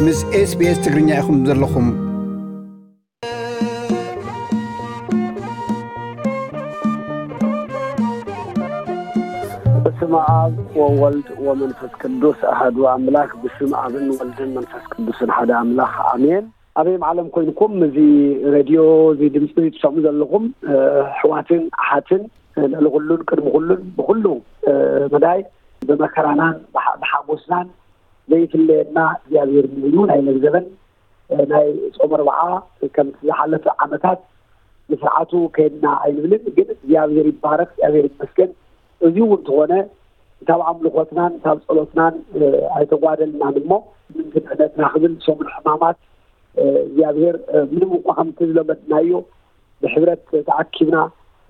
ምስ SBS ትግርኛ ኢኹም ዘለኹም። በስመ ኣብ ወወልድ ወመንፈስ ቅዱስ ኣሐዱ ኣምላክ። ብስም ኣብን ወልድን መንፈስ ቅዱስን ሓደ ኣምላኽ ኣሜን። ኣበይም ዓለም ኮይንኩም እዚ ሬድዮ፣ እዚ ድምፂ ትሰምዑ ዘለኹም፣ እ፣ ኣሕዋትን ኣሓትን፣ እ፣ ልዕሊ ኩሉን ቅድሚ ኩሉን ብኩሉ፣ እ፣ መዳይ ብመከራናን ብሓ-፣ ብሓጎስናን ዘይፍለየና እግዚኣብሔር እዩ። ናይ ለግዘበን፣ እ፣ ናይ ጾም ኣርብዓ ከምቲ ዝሓለፈ ዓመታት ንስርዓቱ ከይድና ኣይንብልን፣ ግን እግዚኣብሔር ይባረክ፣ እግዚኣብሔር ይመስገን። እዚ እውን እንተኾነ፣ እንታብ ኣምልኾትናን እንታብ ጸሎትናን፣ እ፣ ኣይተጓደልናን እሞ፣ ምንግድነትና ክብል ሰሙን ሕማማት፣ እ፣ እግዚኣብሔር፣ እ፣ ምንም እኳ ከምቲ ዝለመድናዮ ብሕብረት ተኣኪብና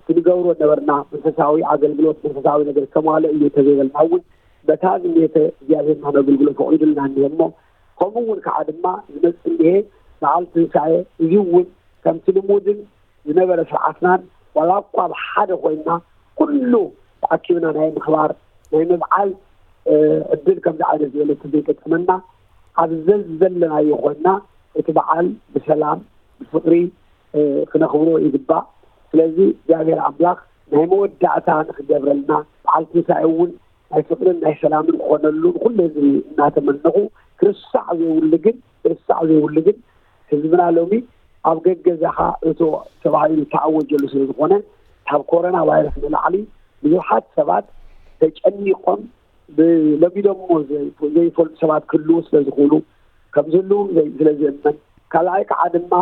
እቲ ንገብሮ ነበርና መንፈሳዊ ኣገልግሎት፣ መንፈሳዊ ነገር ዝተማልኦ እዩ እንተዘይበልና እውን፣ በታ ዝኔተ እግዚኣብሔርና ነገልግሎ ፈቒዱልና እኒሀ እሞ፣ ከምኡ እውን ከዓ ድማ ዝመጽእ እኒሀ በዓል ትንሳኤ። እዚ እውን ከምቲ ልሙድን ዝነበረ ስርዓትናን ዋላ እኳ ኣብ ሓደ ኮይንና ኩሉ ተኣኪብና ናይ ምኽባር ናይ ምብዓል፣ እ፣ ዕድል ከምዚ ዓይነት ዝበለ እንተዘይገጠመና ኣብ ዘዘለናዮ ኮይንና እቲ በዓል ብሰላም ብፍቕሪ፣ እ፣ ክነኽብሮ ይግባእ። ስለዚ እግዚኣብሔር ኣምላኽ ናይ መወዳእታ ንክገብረልና በዓል ትንሳኤ እውን ናይ ፍቕርን ናይ ሰላምን ክኾነሉ ንኩሉ ህዝቢ እናተመነኹ፣ ክርሳዕ ዘይብሉ ግን፣ ክርሳዕ ዘይብሉ ግን ህዝብና ሎሚ ኣብ ገገዛኻ እቶ ተባሂሉ ዝተኣወጀሉ ስለ ዝኾነ፣ ካብ ኮሮና ቫይረስ ንላዕሊ ብዙሓት ሰባት ተጨኒቖም ብለሚዶሞ ዘይ-፣ ዘይፈልጡ ሰባት ክህልዉ ስለ ዝኽእሉ፣ ከም ዝህልዉ ዘይ-፣ ስለ ዝእመን፣ ካልኣይ ከዓ ድማ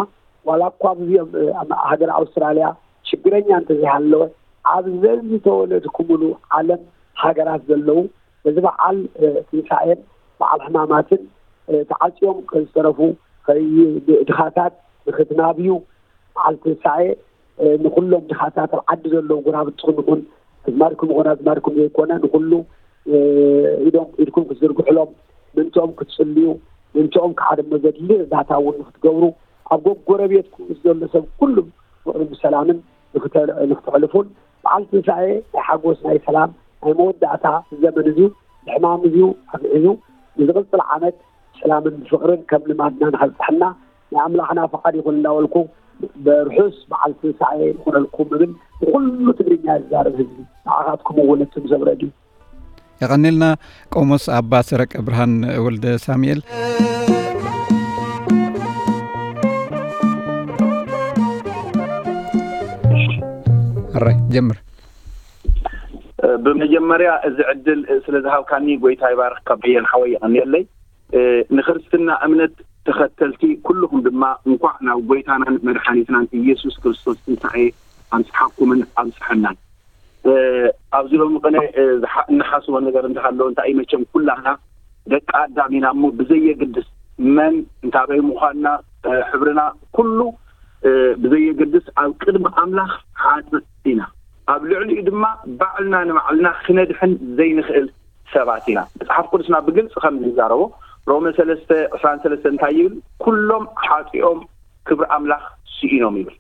ዋላ እኳ ኣብዚ ኣብ፣ ኣብ ሃገር ኣውስትራልያ ሽግረኛ እንተዘይሃለወ፣ ኣብ ዘዝተወለድኩምሉ ዓለም ሃገራት ዘለዉ በዚ በዓል፣ እ፣ ትንሳኤን በዓል ሕማማትን፣ እ፣ ተዓጽዮም ዝተረፉ ከይ-፣ ድኻታት ንኽትናብዩ በዓል ትንሳኤ፣ እ፣ ንኹሎም ድኻታት ኣብ ዓዲ ዘለዉ ጎረባብትኹም ይኹን ኣዝማድኩም ይኹን ኣዝማድኩም ዘይኮነ ንኹሉ፣ እ፣ ኢዶም፣ ኢድኩም ክትዝርግሕሎም፣ ምእንትኦም ክትጽልዩ፣ ምእንትኦም ከዓ ድማ ዘድሊ እርዳታ እውን ንክትገብሩ፣ ኣብ ጎረቤትኩም ምስ ዘሎ ሰብ ኩሉ ፍቕርን ብሰላምን ንክተ-፣ ንክተሕልፉን በዓል ትንሳኤ ናይ ሓጎስ፣ ናይ ሰላም፣ ናይ መወዳእታ ዘመን እዩ። ብሕማም እዩ ኣግዒዙ ንዝቕጽል ዓመት ሰላምን ብፍቕርን ከም ልማድና ንኸብጽሐና ናይ ኣምላኽና ፍቓድ ይኹን እንዳበልኩ፣ ብርሑስ በዓል ትንሳኤ ይኹነልኩም እብል ንኹሉ ትግርኛ ዝዛረብ ህዝቢ፣ ንዓኻትኩም እውን እትም ሰብ ረድዩ። የቐኒልና ቆሞስ ኣባ ሰረቀ ብርሃን ወልደ ሳሙኤል። ኣራይ ጀምር። ብመጀመርያ እዚ ዕድል ስለ ዝሃብካኒ ጎይታ ይባርኽካ በየን ሓወይ፣ የቐንየለይ። ንክርስትና እምነት ተኸተልቲ ኩልኹም ድማ እንኳዕ ናብ ጎይታናን መድሓኒትናን ኢየሱስ ክርስቶስ ትንሳኤ ኣብጽሓኩምን ኣብጽሐናን። ኣብዚ ሎሚ ቅነ ዝሓ-፣ እንሓስቦ ነገር እንተሃለወ እንታይ እዩ፣ መቸም ኩላህና ደቂ ኣዳም ኢና እሞ ብዘየግድስ መን እንታበይ ምዃንና፣ ሕብርና፣ ኩሉ ብዘየግድስ ኣብ ቅድሚ ኣምላኽ ሓጥእ ኢና። ኣብ ልዕሊኡ ድማ ባዕልና ንባዕልና ክነድሕን ዘይንኽእል ሰባት ኢና። መጽሓፍ ቅዱስና ብግልጺ ከም ዝዛረቦ ሮመ ሰለስተ ዕስራን ሰለስተን እንታይ ይብል? "ኩሎም ሓጢኦም ክብሪ ኣምላኽ ስኢኖም" ይብል።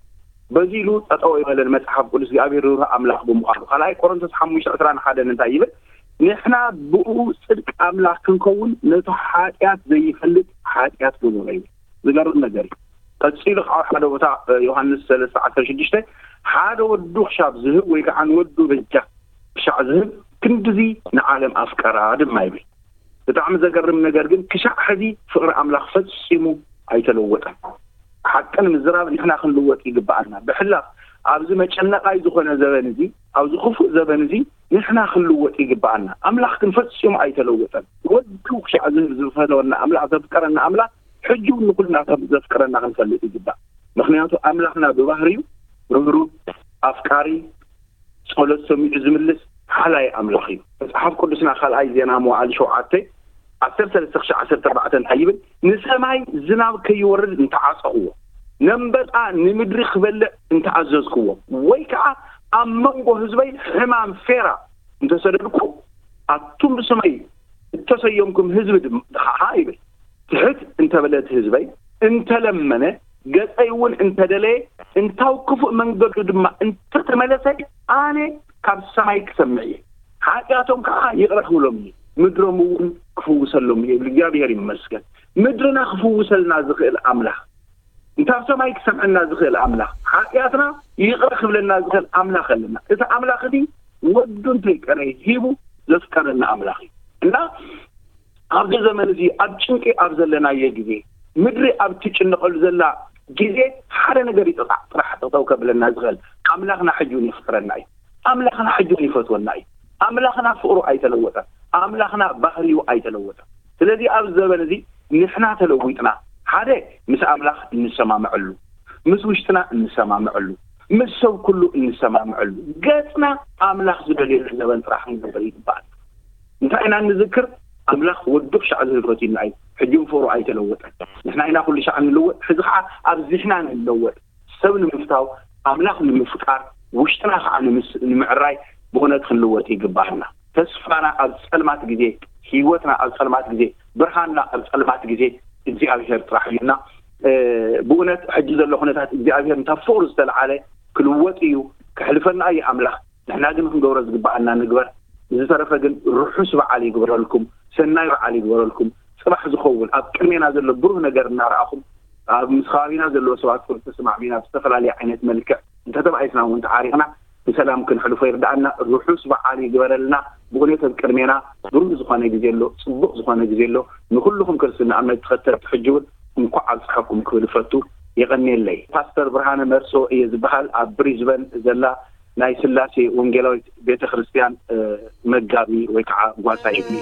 በዚ ኢሉ ጠጠው ይበለን መጽሓፍ ቅዱስ እግዚኣብሔር ርህሩህ ኣምላኽ ብምዃኑ። ካልኣይ ቆሮንቶስ ሓሙሽተ ዕስራን ሓደን እንታይ ይብል? "ንሕና ብእኡ ጽድቂ ኣምላኽ ክንከውን ነቲ ሓጢኣት ዘይፈልጥ ሓጢኣት ገበሮ" ይብል። ዝገርም ነገር እዩ። ቀጺሉ ከዓ ሓደ ቦታ፣ እ፣ ዮሃንስ ሰለስተ ዓሰርተ ሽዱሽተ፣ "ሓደ ወዱ ክሻብ ዝህብ ወይ ከዓ ንወዱ በጃ ክሻዕ ዝህብ ክንድዚ ንዓለም ኣፍቀራ" ድማ ይብል። ብጣዕሚ ዘገርም ነገር ግን ክሻዕ ሕዚ ፍቕሪ ኣምላኽ ፈጺሙ ኣይተለወጠን። ሓቂ ንምዝራብ ንሕና ክንልወጥ ይግብኣና። ብሕላፍ ኣብዚ መጨነቓይ ዝኾነ ዘበን እዚ፣ ኣብዚ ክፉእ ዘበን እዚ ንሕና ክንልወጥ ይግብኣና። ኣምላኽ ግን ፈጺሙ ኣይተለወጠን። ወዱ ክሻዕ ዝህብ ዝፈተወና ኣምላኽ፣ ዘፍቀረና ኣምላኽ ሕጂ እውን ንኩልና ከም ዘፍቅረና ክንፈልጥ ይግባእ። ምኽንያቱ ኣምላኽና ብባህርዩ ርህሩህ፣ ኣፍቃሪ፣ ጸሎት ሰሚዑ ዝምልስ ሓላይ ኣምላኽ እዩ። መጽሓፍ ቅዱስና ካልኣይ ዜና መዋዕል ሸውዓተ ዓሰርተ ሰለስተ ክሻዕ ዓሰርተ ኣርባዕተ እንታይ ይብል? "ንሰማይ ዝናብ ከይወርድ እንተዓጸኽዎ፣ ነንበጣ ንምድሪ ክበልዕ እንተኣዘዝክዎ፣ ወይ ከኣ ኣብ መንጎ ህዝበይ ሕማም ፌራ እንተሰደድኩ፣ ኣቱም ብስመይ እተሰየምኩም ህዝቢ ድም-፣ ከዓ" ይብል። ትሕት እንተበለ እቲ ህዝበይ፣ እንተለመነ፣ ገጸይ እውን እንተደለየ፣ እንታው ክፉእ መንገዱ ድማ እንተተመለሰ፣ ኣነ ካብ ሰማይ ክሰምዕ እየ፣ ሓጢኣቶም ከዓ ይቕረ ክብሎም እየ፣ ምድሮም እውን ክፍውሰሎም እየ ይብል። እግዚኣብሔር ይመስገን። ምድርና ክፍውሰልና ዝኽእል ኣምላኽ፣ እንታብ ሰማይ ክሰምዐና ዝኽእል ኣምላኽ፣ ሓጢኣትና ይቕረ ክብለልና ዝኽእል ኣምላኽ ኣለና። እቲ ኣምላኽ እዚ ወዱ እንተይቀረ ሂቡ ዘፍቀረና ኣምላኽ እዩ። እና ኣብዚ ዘመን እዚ ኣብ ጭንቂ ኣብ ዘለናዮ ግዜ፣ ምድሪ ኣብ ትጭነቐሉ ዘላ ግዜ፣ ሓደ ነገር ይጥቓዕ ጥራሕ ጠጠው ከብለና ዝኽእል ኣምላኽና ሕጂ እውን የፍቅረና እዩ። ኣምላኽና ሕጂ እውን ይፈትወና እዩ። ኣምላኽና ፍቕሩ ኣይተለወጠን። ኣምላኽና ባህሪኡ ኣይተለወጠን። ስለዚ ኣብዚ ዘበን እዚ ንሕና ተለዊጥና፣ ሓደ ምስ ኣምላኽ እንሰማምዐሉ፣ ምስ ውሽጥና እንሰማምዐሉ፣ ምስ ሰብ ኩሉ እንሰማምዐሉ፣ ገጽና ኣምላኽ ዝደልየሉ ዘበን ጥራሕ ክንገብር ይግባእ። እንታይ ኢና እንዝክር? ኣምላኽ ወዱ ክሻዕ ዝህልፈት ኢልና እዩ። ሕጂ እውን ፍቕሩ ኣይተለወጠን። ንሕና ኢና ኩሉ ሻዕ እንለወጥ፣ ሕዚ ከዓ ኣብዚሕና ንለወጥ። ሰብ ንምፍታው፣ ኣምላኽ ንምፍቃር፣ ውሽጥና ከዓ ንምስ-፣ ንምዕራይ ብእውነት ክንልወጥ ይግባኣና። ተስፋና ኣብ ጸልማት ግዜ፣ ህይወትና ኣብ ጸልማት ግዜ፣ ብርሃንና ኣብ ጸልማት ግዜ እግዚኣብሔር ጥራሕ እዩ። እና፣ እ፣ ብእውነት ሕጂ ዘሎ ኩነታት እግዚኣብሔር እንታ ፍቕሩ ዝተለዓለ ክልወጥ እዩ፣ ከሕልፈና እዩ ኣምላኽ። ንሕና ግን ክንገብሮ ዝግባኣና ንግበር። ዝተረፈ ግን ርሑስ በዓል ይግበረልኩም፣ ሰናይ በዓል ይግበረልኩም። ጽባሕ ዝኸውን ኣብ ቅድሜና ዘሎ ብሩህ ነገር እናረኣኹም፣ ኣብ ምስ ከባቢና ዘለዎ ሰባት ቁርሲ ተሰማዕሚና ብዝተፈላለየ ዓይነት መልክዕ እንተተባኢስና እውን ተዓሪቕና ብሰላም ክንሕልፎ ይርዳኣና። ርሑስ በዓል ይግበረልና። ብእውነት ኣብ ቅድሜና ብሩህ ዝኾነ ግዜ ኣሎ፣ ጽቡቕ ዝኾነ ግዜ ኣሎ። ንኹልኹም ክርስትና እምነት ተኸተልቲ ሕጂ እውን እንኳዕ ኣብፀሐኩም ክብል እፈቱ። የቐንየለይ። ፓስተር ብርሃነ መርሶ እየ ዝበሃል። ኣብ ብሪዝበን ዘላ ናይ ስላሴ ወንጌላዊት ቤተ ክርስቲያን፣ እ፣ መጋቢ ወይ ከዓ ጓሳይ እዩ።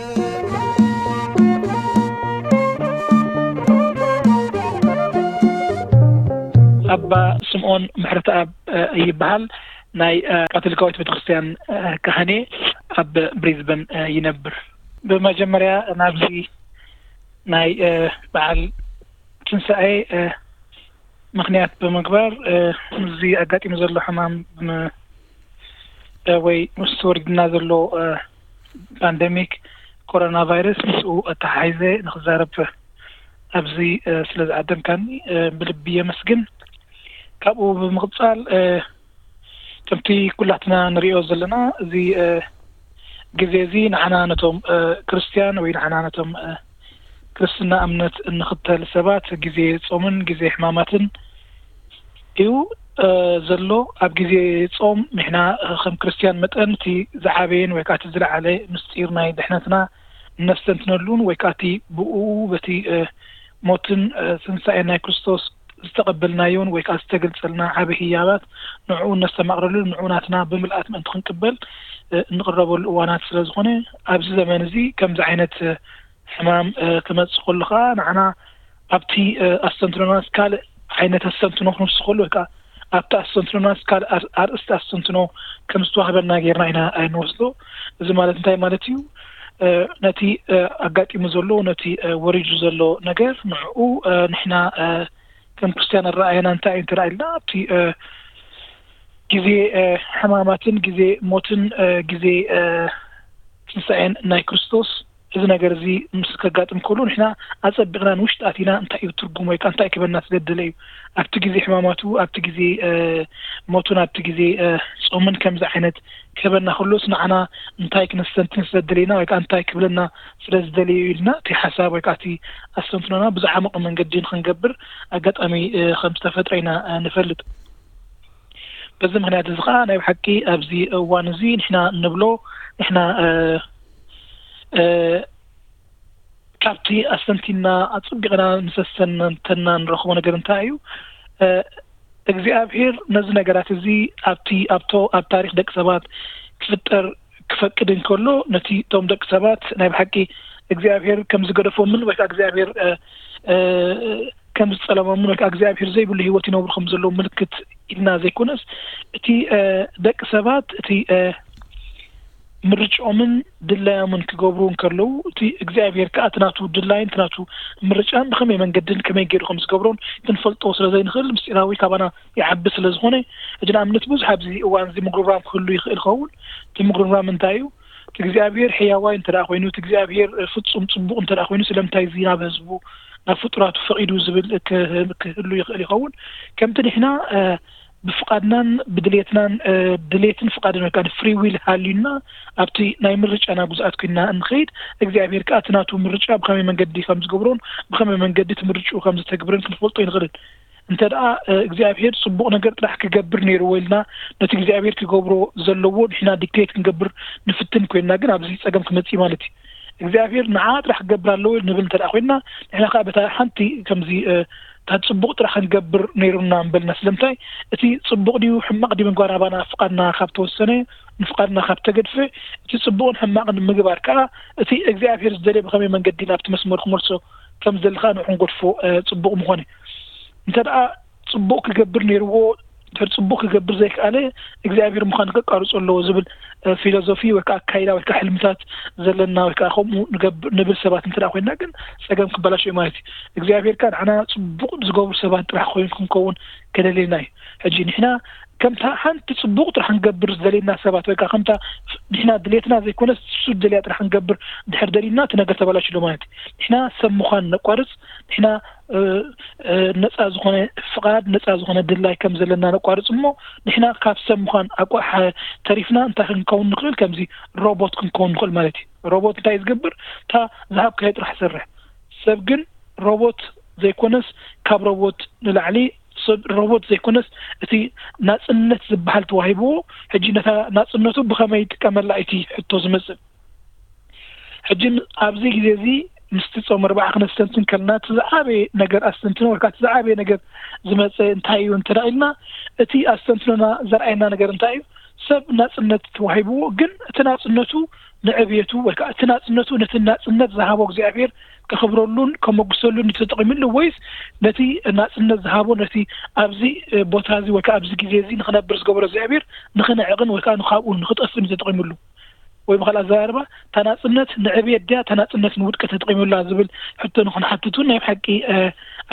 ኣባ ስምዖን ምሕረተኣብ፣ እ፣ ይበሃል። ናይ፣ እ፣ ካቶሊካዊት ቤተክርስትያን፣ እ፣ ካህኔ ኣብ ብሪዝበን፣ እ፣ ይነብር። ብመጀመርያ ናብዚ ናይ፣ እ፣ በዓል ትንሳኤ፣ እ፣ ምኽንያት ብምግባር፣ እ፣ እዚ ኣጋጢሙ ዘሎ ሕማም ብም-፣ እ፣ ወይ ምስ ወሪድና ዘሎ፣ እ፣ ፓንደሚክ ኮሮና ቫይረስ ምስኡ ኣተሓሒዘ ንክዛረብ ኣብዚ፣ እ፣ ስለ ዝዓደምካኒ፣ እ፣ ብልቢ የመስግን። ካብኡ ብምቕጻል፣ እ፣ ከምቲ ኩላትና ንሪኦ ዘለና፣ እዚ፣ እ፣ ግዜ እዚ ንዓና ነቶም፣ እ፣ ክርስትያን ወይ ንዓና ነቶም፣ እ፣ ክርስትና እምነት እንኽተል ሰባት ግዜ ጾምን ግዜ ሕማማትን እዩ፣ እ፣ ዘሎ። ኣብ ግዜ ጾም ንሕና፣ እ፣ ከም ክርስትያን መጠን እቲ ዝዓበየን ወይ ከዓ እቲ ዝለዓለ ምስጢር ናይ ድሕነትና እነስተንትነሉን ወይ ከዓ እቲ ብኡ በቲ፣ እ፣ ሞትን፣ እ፣ ትንሳኤን ናይ ክርስቶስ ዝተቐበልናዮን ወይ ከዓ ዝተገልጸልና ዓቢ ህያባት ንዕኡ እነስተማቕረሉ፣ ንዕኡ ናትና ብምልኣት ምእንቲ ክንቅበል፣ እ፣ እንቕረበሉ እዋናት ስለ ዝኾነ፣ ኣብዚ ዘመን እዚ ከምዚ ዓይነት፣ እ፣ ሕማም፣ እ፣ ክመጽእ ከሎ ከኣ ንዓና ኣብቲ፣ እ፣ ኣስተንትኖናስ ካልእ ዓይነት ኣስተንትኖ ክንወስድ ከሎ ወይ ከዓ ኣብቲ ኣስተንትኖናስ ካልእ ኣር-፣ ኣርእስቲ ኣስተንትኖ ከም ዝተዋህበና ጌርና ኢና፣ እ፣ ንወስዶ። እዚ ማለት እንታይ ማለት እዩ? እ፣ ነቲ፣ እ፣ ኣጋጢሙ ዘሎ፣ ነቲ፣ እ፣ ወሪዱ ዘሎ ነገር ንዕኡ፣ እ፣ ንሕና፣ እ፣ ከም ክርስትያን ኣረኣእያና እንታይ እዩ እንተ ኢልና፣ ኣብቲ፣ እ፣ ግዜ፣ እ፣ ሕማማትን ግዜ ሞትን፣ እ፣ ግዜ፣ እ፣ ትንሳኤን ናይ ክርስቶስ፣ እዚ ነገር እዚ ምስ ከጋጥም ከሎ ንሕና ኣጸቢቕና ንውሽጢ ኣቲና እንታይ እዩ ትርጉሙ ወይ ከኣ እንታይ ክህበና ስለ ዝደለ እዩ። ኣብቲ ግዜ ሕማማቱ፣ ኣብቲ ግዜ፣ እ፣ ሞቱን ኣብቲ ግዜ፣ እ፣ ጾምን ከምዚ ዓይነት ክህበና ከሎስ ንዓና እንታይ ክነስተንትን ስለ ዝደለየና ወይ ከኣ እንታይ ክብለና ስለ ዝደለየ እዩ ኢልና እቲ ሓሳብ ወይ ከኣ እቲ ኣስተንትኖና ብዝዓመቐ መንገዲ ንኽንገብር ኣጋጣሚ፣ እ፣ ከም ዝተፈጥረ ኢና፣ እ፣ ንፈልጥ። በዚ ምኽንያት እዚ ኸኣ ናይ ብሓቂ ኣብዚ እዋን እዚ ንሕና እንብሎ፣ ንሕና፣ እ፣ እ፣ ካብቲ ኣስተንቲና ኣጸቢቕና ምስ ኣስተንተና ንረኽቦ ነገር እንታይ እዩ? እ፣ እግዚኣብሔር ነዚ ነገራት እዚ ኣብቲ፣ ኣብቶ፣ ኣብ ታሪኽ ደቂ ሰባት ክፍጠር ክፈቅድ እንከሎ፣ ነቲ እቶም ደቂ ሰባት ናይ ብሓቂ እግዚኣብሔር ከም ዝገደፎምን ወይ ከኣ እግዚኣብሔር፣ እ፣ እ፣ ከም ዝጸለሞምን ወይ ከኣ እግዚኣብሔር ዘይብሉ ህይወት ይነብሩ ከም ዘለዉ ምልክት ኢልና ዘይኮነስ፣ እቲ፣ እ፣ ደቂ ሰባት እቲ፣ እ፣ ምርጫኦምን ድላዮምን ክገብሩ እንከለዉ፣ እቲ እግዚኣብሔር ከኣ እቲ ናቱ ድላይን እቲ ናቱ ምርጫን ብኸመይ መንገድን ከመይ ገይሩ ከም ዝገብሮን ክንፈልጦ ስለ ዘይንኽእል፣ ምስጢራዊ ካባና ይዓቢ ስለ ዝኾነ፣ ሕጂ ንኣብነት ብዙሕ ኣብዚ እዋን እዚ ምጉርምራም ክህሉ ይኽእል ይኸውን። እቲ ምጉርምራም እንታይ እዩ? እቲ እግዚኣብሔር ሕያዋይ እንተ ደኣ ኮይኑ፣ እቲ እግዚኣብሔር ፍጹም ጽቡቕ እንተ ደኣ ኮይኑ፣ ስለምንታይ እዚ ናብ ህዝቡ፣ ናብ ፍጡራቱ ፈቒዱ ዝብል ክህ-፣ ክህሉ ይኽእል ይኸውን። ከምቲ ንሕና፣ እ፣ ብፍቓድናን ብድሌትናን ድሌትን ፍቓድን ወይ ከዓ ፍሪ ዊል ሃልዩና ኣብቲ ናይ ምርጫና ጉዝኣት ኮይና እንኸይድ እግዚኣብሔር ከዓ እቲ ናቱ ምርጫ ብኸመይ መንገዲ ከም ዝገብሮን ብኸመይ መንገዲ እቲ ምርጭኡ ከም ዝተግብርን ክንፈልጦ ይንኽእል። እንተ ደኣ እግዚኣብሔር ፅቡቕ ነገር ጥራሕ ክገብር ነይርዎ ኢልና ነቲ እግዚኣብሔር ክገብሮ ዘለዎ ንሕና ዲክቴት ክንገብር ንፍትን ኮይንና ግን ኣብዚ ፀገም ክመፅእ ማለት እዩ። እግዚኣብሔር ንዓ ጥራሕ ክገብር ኣለዎ ንብል እንተ ኮይንና ንሕና ከዓ በታ ሓንቲ ከምዚ እታ ፅቡቕ ጥራሕ ክንገብር ነይሩና ንበልና ስለምንታይ እቲ ፅቡቕ ድዩ ሕማቕ ድዩ ምግባር ኣባና ፍቓድና ካብ ተወሰነ ንፍቓድና ካብ ተገድፈ እቲ ፅቡቕን ሕማቕን ምግባር ከዓ እቲ እግዚኣብሔር ዝደልየ ብኸመይ መንገዲ ናብቲ መስመር ክመልሶ ከም ዝደሊ ከዓ ንዑ ክንገድፎ ፅቡቕ ምኾነ። እንተ ደኣ ፅቡቕ ክገብር ነይርዎ እንድሕር ፅቡቕ ክገብር ዘይከኣለ እግዚኣብሔር ምዃኑ ከቃርጾ ኣለዎ ዝብል ፊሎዞፊ ወይ ከዓ ኣካይዳ ወይ ከዓ ሕልምታት ዘለና ወይ ከዓ ከምኡ ንብል ሰባት እንተ ኮይንና ግን ፀገም ክበላሾ እዩ ማለት እዩ። እግዚኣብሔር ከዓ ንዓና ፅቡቕ ዝገብሩ ሰባት ጥራሕ ኮይኑ ክንከውን ከደልየና እዩ። ሕጂ ንሕና ከምታ ሓንቲ ፅቡቕ ጥራሕ ክንገብር ዝደልየና ሰባት ወይ ከዓ ከምታ ንሕና ድሌትና ዘይኮነስ እሱ ዝደልያ ጥራሕ ክንገብር ድሕር ደሊና እቲ ነገር ተበላሽሎ ማለት እዩ። ንሕና ሰብ ምዃን ነቋርፅ ንሕና ነፃ ዝኾነ ፍቓድ ነፃ ዝኾነ ድላይ ከም ዘለና ነቋርፅ እሞ ንሕና ካብ ሰብ ምዃን ኣቋሕ ተሪፍና እንታይ ክንከውን ንኽእል ከምዚ ሮቦት ክንከውን ንኽእል ማለት እዩ። ሮቦት እንታይ ዝገብር እታ ዝሃብካዮ ጥራሕ ሰርሕ ሰብ ግን ሮቦት ዘይኮነስ ካብ ሮቦት ንላዕሊ ሰብ ሮቦት ዘይኮነስ እቲ ናፅነት ዝበሃል ተዋሂብዎ ሕጂ ነታ ናፅነቱ ብኸመይ ይጥቀመላ እቲ ሕቶ ዝመፅእ ሕጂ ኣብዚ ግዜ እዚ ምስቲ ፆም ኣርባዓ ክነስተንትን ከለና እቲ ዝዓበየ ነገር ኣስተንትኖ ወይ ከዓ እቲ ዝዓበየ ነገር ዝመፀ እንታይ እዩ እንተ ኢልና እቲ ኣስተንትኖና ዘርኣየና ነገር እንታይ እዩ ሰብ ናፅነት ተዋሂብዎ ግን እቲ ናፅነቱ ንዕብየቱ ወይ ከዓ እቲ ናፅነቱ ነቲ ናፅነት ዝሃቦ እግዚኣብሔር ከኽብረሉን ከመጉሰሉን ተጠቂምሉ ወይስ ነቲ ናፅነት ዝሃቦ ነቲ ኣብዚ ቦታ እዚ ወይ ከዓ ኣብዚ ግዜ እዚ ንክነብር ዝገበሮ እግዚኣብሔር ንክንዕቕን ወይ ከዓ ንካብኡ ንክጠፍእን ተጠቂምሉ ወይ ብካልእ ኣዘራርባ እታ ናፅነት ንዕብየት ድያ እታ ናፅነት ንውድቀት ተጠቂሙላ ዝብል ሕቶ ንክንሓትት እውን ናይ ብሓቂ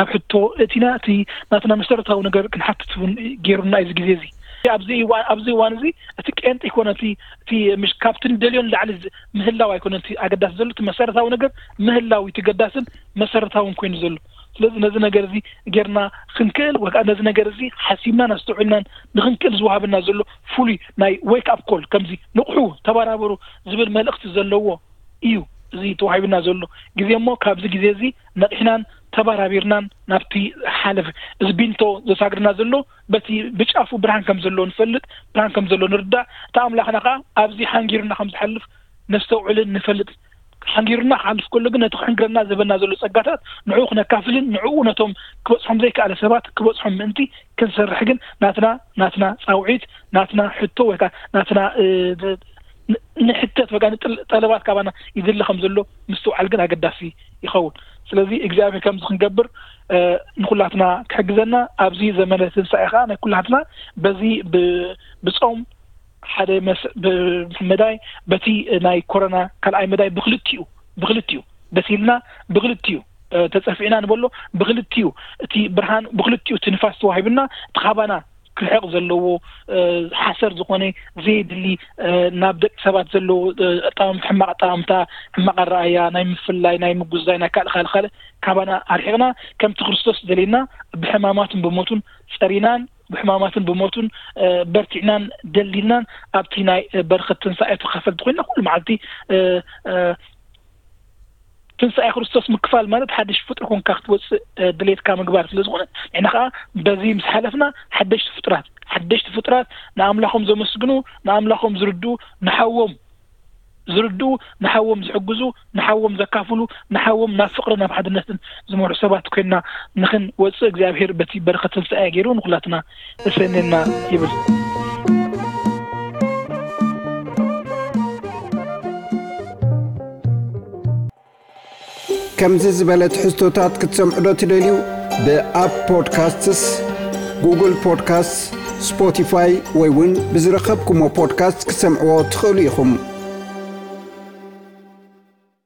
ኣብ ሕቶ እቲና እቲ ናትና መሰረታዊ ነገር ክንሓትት እውን ገይሩና እዚ ግዜ እዚ ኣብዚ እዋን ኣብዚ እዋን እዚ እቲ ቄንጢ ይኮነ እቲ እቲ ምሽ ካብቲ ንደልዮ ንላዕሊ ምህላው ኣይኮነ እቲ ኣገዳሲ ዘሎ እቲ መሰረታዊ ነገር ምህላው እቲ ገዳስን መሰረታውን ኮይኑ ዘሎ ስለዚ ነዚ ነገር እዚ ጌርና ክንክእል ወይ ከዓ ነዚ ነገር እዚ ሓሲብናን ኣስተውዒልናን ንክንክእል ዝወሃበና ዘሎ ፍሉይ ናይ ዌክ ኣፕ ኮል ከምዚ ንቕሑ ተበራበሩ ዝብል መልእኽቲ ዘለዎ እዩ እዚ ተዋሂብና ዘሎ ግዜ እሞ ካብዚ ግዜ እዚ ነቒሕናን ተበራቢርናን ናብቲ ሓለፍ እዚ ቢንቶ ዘሳግርና ዘሎ በቲ ብጫፉ ብርሃን ከም ዘሎ ንፈልጥ ብርሃን ከም ዘሎ ንርዳእ እቲ ኣምላኽና ከዓ ኣብዚ ሓንጊሩና ከም ዝሓልፍ ነስተውዕልን ንፈልጥ ሓንጊሩና ክሓልፍ ከሎ ግን ነቲ ክሕንግረና ዝህበና ዘሎ ጸጋታት ንዕኡ ክነካፍልን ንዕኡ ነቶም ክበጽሖም ዘይከኣለ ሰባት ክበጽሖም ምእንቲ ክንሰርሕ ግን ናትና ናትና ጻውዒት ናትና ሕቶ ወይ ከዓ ናትና ንሕተት ወይ ከዓ ጠለባት ካባና ይድለ ከም ዘሎ ምስትውዓል ግን ኣገዳሲ ይኸውን ስለዚ እግዚኣብሔር ከምዚ ክንገብር ንኩላትና ክሕግዘና ኣብዚ ዘመነ ትንሳኤ ከዓ ናይ ኩላትና በዚ ብጾም ሓደ መዳይ በቲ ናይ ኮሮና ካልኣይ መዳይ ብክልቲኡ ብክልቲኡ በሲልና ብክልቲኡ ተፀፊዕና ንበሎ ብክልቲኡ እቲ ብርሃን ብክልቲኡ እቲ ንፋስ ተዋሂብና እቲ ካባና ክርሕቕ ዘለዎ ሓሰር ዝኾነ ዘየድሊ ናብ ደቂ ሰባት ዘለዎ ሕማቕ ኣጠማምታ ሕማቕ ኣረኣያ ናይ ምፍላይ ናይ ምጉዛይ ናይ ካልእ ካልእ ካልእ ካባና ኣርሒቕና ከምቲ ክርስቶስ ደልየና ብሕማማትን ብሞቱን ፀሪናን ብሕማማትን ብሞቱን በርቲዕናን ደሊልናን ኣብቲ ናይ በረኸት ትንሳኤ ተኻፈልቲ ኮይና ኩሉ መዓልቲ ትንሳኤ ክርስቶስ ምክፋል ማለት ሓድሽ ፍጡር ኮንካ ክትወፅእ ድሌትካ ምግባር ስለ ዝኾነ ንሕና ከዓ በዚ ምስ ሓለፍና ሓደሽቲ ፍጡራት ሓደሽቲ ፍጡራት ንኣምላኾም ዘመስግኑ ንኣምላኾም ዝርድኡ ንሓዎም ዝርድኡ ንሓዎም ዝሕግዙ ንሓዎም ዘካፍሉ ንሓዎም ናብ ፍቕሪ ናብ ሓድነትን ዝመርሑ ሰባት ኮይንና ንኽንወፅእ እግዚኣብሔር በቲ በረኸት ትንሳኤ ገይሩ ንኩላትና እሰንየና ይብል። ከምዚ ዝበለ ትሕዝቶታት ክትሰምዑ ዶ ትደልዩ? ብኣፕ ፖድካስትስ፣ ጉግል ፖድካስት፣ ስፖቲፋይ ወይ እውን ብዝረኸብኩሞ ፖድካስት ክትሰምዕዎ ትኽእሉ ኢኹም።